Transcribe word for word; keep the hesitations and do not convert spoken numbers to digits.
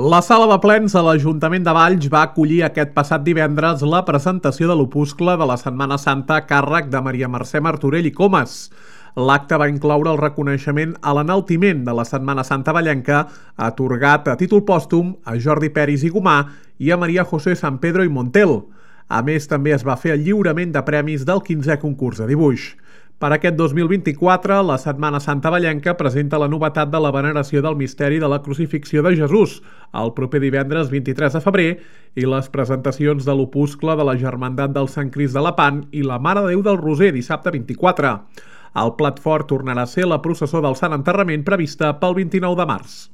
La sala de plens de l'Ajuntament de Valls va acollir aquest passat divendres la presentació de l'opuscle de la Setmana Santa a càrrec de Maria Mercè Martorell i Comas. L'acte va incloure el reconeixement a l'enaltiment de la Setmana Santa vallenca, atorgat a títol pòstum a Jordi Peris i Gomà i a Maria José San Pedro i Montel. A més, també es va fer el lliurament de premis del quinzè concurs de dibuix. Per aquest dos mil vint-i-quatre, la Setmana Santa vallenca presenta la novetat de la veneració del misteri de la crucifixió de Jesús, el proper divendres vint-i-tres de febrer, i les presentacions de l'opuscle de la Germandat del Sant Crist de Lepant i la Mare de Déu del Roser, dissabte vint-i-quatre. El plat fort tornarà a ser la processó del Sant Enterrament prevista pel vint-i-nou de març.